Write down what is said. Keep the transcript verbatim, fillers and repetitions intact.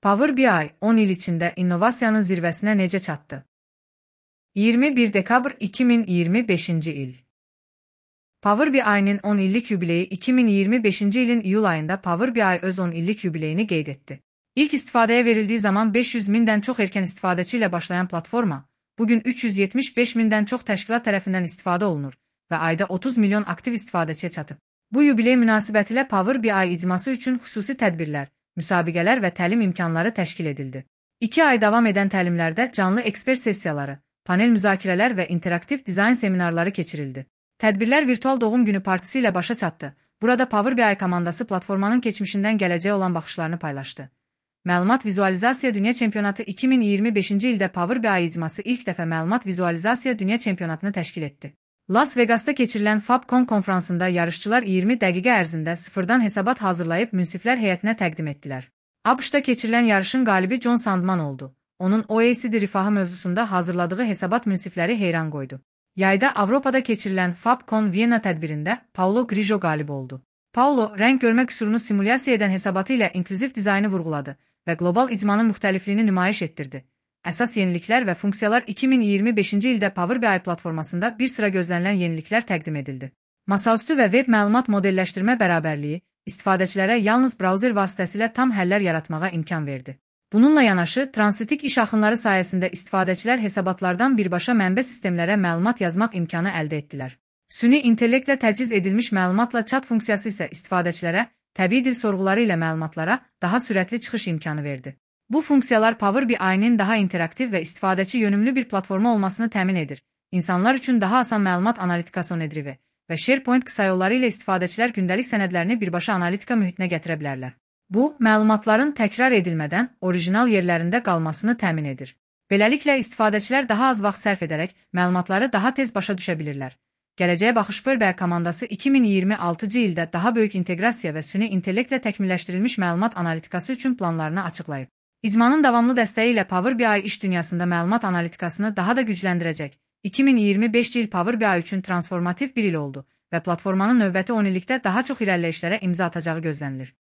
Power B I on il içində innovasiyanın zirvəsinə necə çatdı? iyirmi bir dekabr iki min iyirmi beşinci il. Power B I-nin on illik yubileyi iki min iyirmi beşinci ilin iyul ayında Power B I öz on illik yubileyini qeyd etdi. İlk istifadəyə verildiği zaman beş yüz mindən çox erkən istifadəçi ilə başlayan platforma, bugün üç yüz yetmiş beş mindən çox təşkilat tərəfindən istifadə olunur və ayda otuz milyon aktiv istifadəçiyə çatıb. Bu yubiley münasibətilə Power B I icması üçün xüsusi tədbirlər, müsabiqələr və təlim imkanları təşkil edildi. İki ay davam edən təlimlərdə canlı ekspert sessiyaları, panel müzakirələr və interaktiv dizayn seminarları keçirildi. Tədbirlər virtual doğum günü partisi ilə başa çatdı. Burada Power B I komandası platformanın keçmişindən gələcəyə olan baxışlarını paylaşdı. Məlumat Vizualizasiya Dünya Çempionatı iki min iyirmi beşinci ildə Power B I icması ilk dəfə Məlumat Vizualizasiya Dünya Çempionatını təşkil etdi. Las Vegas'ta keçirilən Fabcon konfransında yarışçılar iyirmi dəqiqə ərzində sıfırdan hesabat hazırlayıb münsiflər heyətinə təqdim etdilər. ABŞ-da keçirilən yarışın qalibi John Sandman oldu. Onun O E C D rifahı mövzusunda hazırladığı hesabat münsifləri heyran qoydu. Yayda Avropada keçirilən Fabcon Viyana tədbirində Paulo Grijo qalib oldu. Paulo, rəng görmə qüsurunu simulyasiya edən hesabatı ilə inklüziv dizaynı vurğuladı və qlobal icmanın müxtəlifliyini nümayiş etdirdi. Əsas yeniliklər və funksiyalar iki min iyirmi beşinci ildə Power B I platformasında bir sıra gözlənilən yeniliklər təqdim edildi. Masaüstü və web məlumat modelləşdirmə bərabərliyi istifadəçilərə yalnız brauzer vasitəsilə tam həllər yaratmağa imkan verdi. Bununla yanaşı, translitik iş axınları sayəsində istifadəçilər hesabatlardan birbaşa mənbə sistemlərə məlumat yazmaq imkanı əldə etdilər. Süni intellektlə təchiz edilmiş məlumatla chat funksiyası isə istifadəçilərə təbii dil sorğuları ilə məlumatlara daha sürətli çıxış imkanı verdi. Bu funksiyalar Power B I-nin daha interaktiv və istifadəçi yönümlü bir platforma olmasını təmin edir. İnsanlar üçün daha asan məlumat analitikası onedrivi və SharePoint qısa yolları ilə istifadəçilər gündəlik sənədlərini birbaşa analitika mühitinə gətirə bilərlər. Bu, məlumatların təkrar edilmədən orijinal yerlərində qalmasını təmin edir. Beləliklə, istifadəçilər daha az vaxt sərf edərək məlumatları daha tez başa düşə bilirlər. Gələcəyə baxış Power B I komandası iki min iyirmi altıncı ildə daha böyük inteqrasiya və süni intellektlə təkmilləşdirilmiş məlumat analitikası üçün planlarını açıqlayıb. İcmanın davamlı dəstəyi ilə Power B I iş dünyasında məlumat analitikasını daha da gücləndirəcək. iki min iyirmi beşinci il Power B I üçün transformativ bir il oldu və platformanın növbəti on illikdə daha çox irəliləyişlərə imza atacağı gözlənilir.